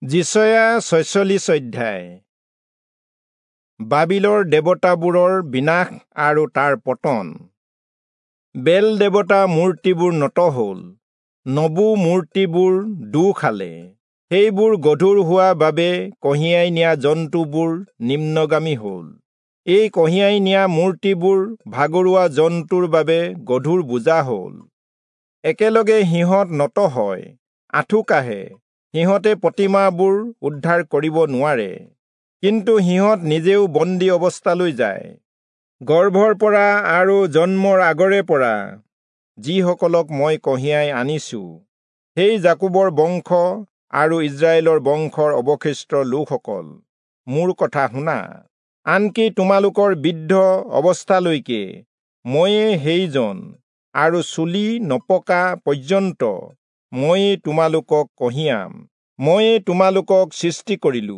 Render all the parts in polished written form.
যিচয়া 46 অধ্যায়। বাবিলৰ দেৱতাবোৰৰ বিনাশ আৰু তাৰ পতন। বেল দেৱতা মূৰ্তিবোৰ নত হ'ল, নবু মূৰ্তিবোৰ দোঁ খালে, সেইবোৰ গধুৰ হোৱা বাবে কঢ়িয়াই নিয়া জন্তুবোৰ নিম্নগামী হ'ল। এই কঢ়িয়াই নিয়া মূৰ্তিবোৰ ভাগৰুৱা জন্তুৰ বাবে গধুৰ বোজা হ'ল। একেলগে সিহঁত নত হয়, আঁঠু কাঢ়ে, সিহঁতে প্ৰতিমাবোৰ উদ্ধাৰ কৰিব নোৱাৰে, কিন্তু সিহঁত নিজেও বন্দী অৱস্থালৈ যায়। গৰ্ভৰ পৰা আৰু জন্মৰ আগৰে পৰা যিসকলক মই কঢ়িয়াই আনিছো, সেই যাকোবৰ বংশ আৰু ইস্ৰায়েলৰ বংশৰ অৱশিষ্ট লোকসকল, মোৰ কথা শুনা। আনকি তোমালোকৰ বৃদ্ধ অৱস্থালৈকে ময়ে সেইজন, আৰু চুলি নপকা পৰ্যন্ত ময়ে তোমালোকক কঢ়িয়াম। ময়ে তোমালোকক সৃষ্টি কৰিলো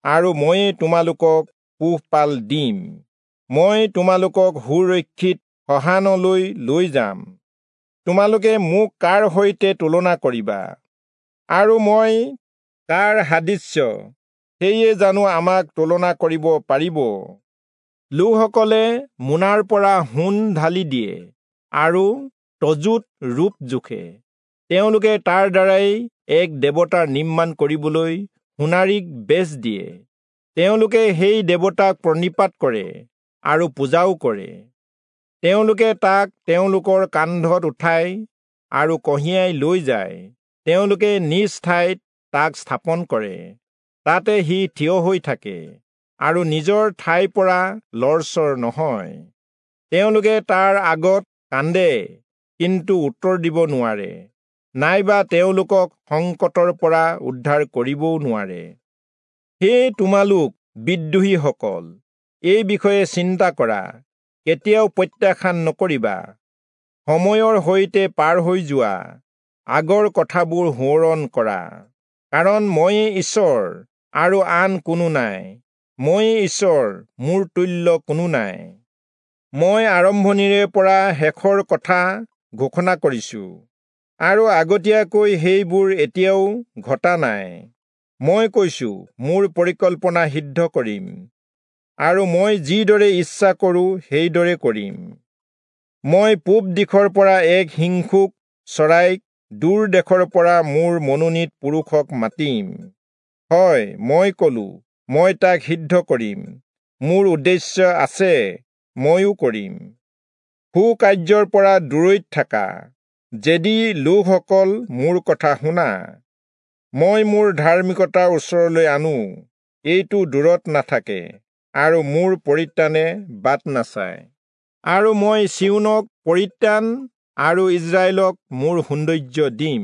আৰু ময়ে তোমালোকক পোহপাল দিম। মই তোমালোকক সুৰক্ষিত সহানলৈ লৈ যাম। তোমালোকে মোক কাৰ সৈতে তুলনা কৰিবা, আৰু মই কাৰ সাদৃশ্য, সেয়ে জানো আমাক তুলনা কৰিব পাৰিব? লোকসকলে মোনাৰ পৰা সোণ ঢালি দিয়ে আৰু তজুত ৰূপ জোখে। তেওঁলোকে তাৰ দ্বাৰাই এক দেৱতাৰ নিৰ্মাণ কৰিবলৈ সোণাৰীক বেচ দিয়ে। তেওঁলোকে সেই দেৱতাক প্ৰণিপাত কৰে আৰু পূজাও কৰে। তেওঁলোকে তাক তেওঁলোকৰ কান্ধত উঠাই আৰু কঢ়িয়াই লৈ যায়। তেওঁলোকে নিজ ঠাইত তাক স্থাপন কৰে, তাতে সি থিয় হৈ থাকে আৰু নিজৰ ঠাইৰ পৰা লৰচৰ নহয়। তেওঁলোকে তাৰ আগত কান্দে, কিন্তু উত্তৰ দিব নোৱাৰে, নাইবা তেওঁলোকক সংকটৰ পৰা উদ্ধাৰ কৰিবও নোৱাৰে। হে তোমালোক বিদ্ৰোহীসকল, এই বিষয়ে চিন্তা কৰা, কেতিয়াও প্ৰত্যাখ্যান নকৰিবা। সময়ৰ সৈতে পাৰ হৈ যোৱা, আগৰ কথাবোৰ সোঁৱৰণ কৰা। কাৰণ ময়ে ঈশ্বৰ আৰু আন কোনো নাই, ময়ে ঈশ্বৰ, মোৰ তুল্য কোনো নাই। মই আৰম্ভণিৰে পৰা শেষৰ কথা ঘোষণা কৰিছো, আৰু আগতীয়াকৈ সেইবোৰ এতিয়াও ঘটা নাই। মই কৈছো, মোৰ পৰিকল্পনা সিদ্ধ কৰিম, আৰু মই যিদৰে ইচ্ছা কৰোঁ সেইদৰে কৰিম। মই পূব দিশৰ পৰা এক হিংসুক চৰাইক, দূৰ দেশৰ পৰা মোৰ মনোনীত পুৰুষক মাতিম। হয়, মই কলো, মই তাক সিদ্ধ কৰিম। মোৰ উদ্দেশ্য আছে, ময়ো কৰিম। সুকাৰ্যৰ পৰা দূৰৈত থাকা, যদি লোকসকল মোৰ কথা শুনা। মই মোৰ ধাৰ্মিকতাৰ ওচৰলৈ আনো, এইটো দূৰত নাথাকে, আৰু মোৰ পৰিত্ৰাণে বাট নাচায়। আৰু মই চিয়োনক পৰিত্ৰাণ আৰু ইস্ৰায়েলক মোৰ সৌন্দৰ্য দিম।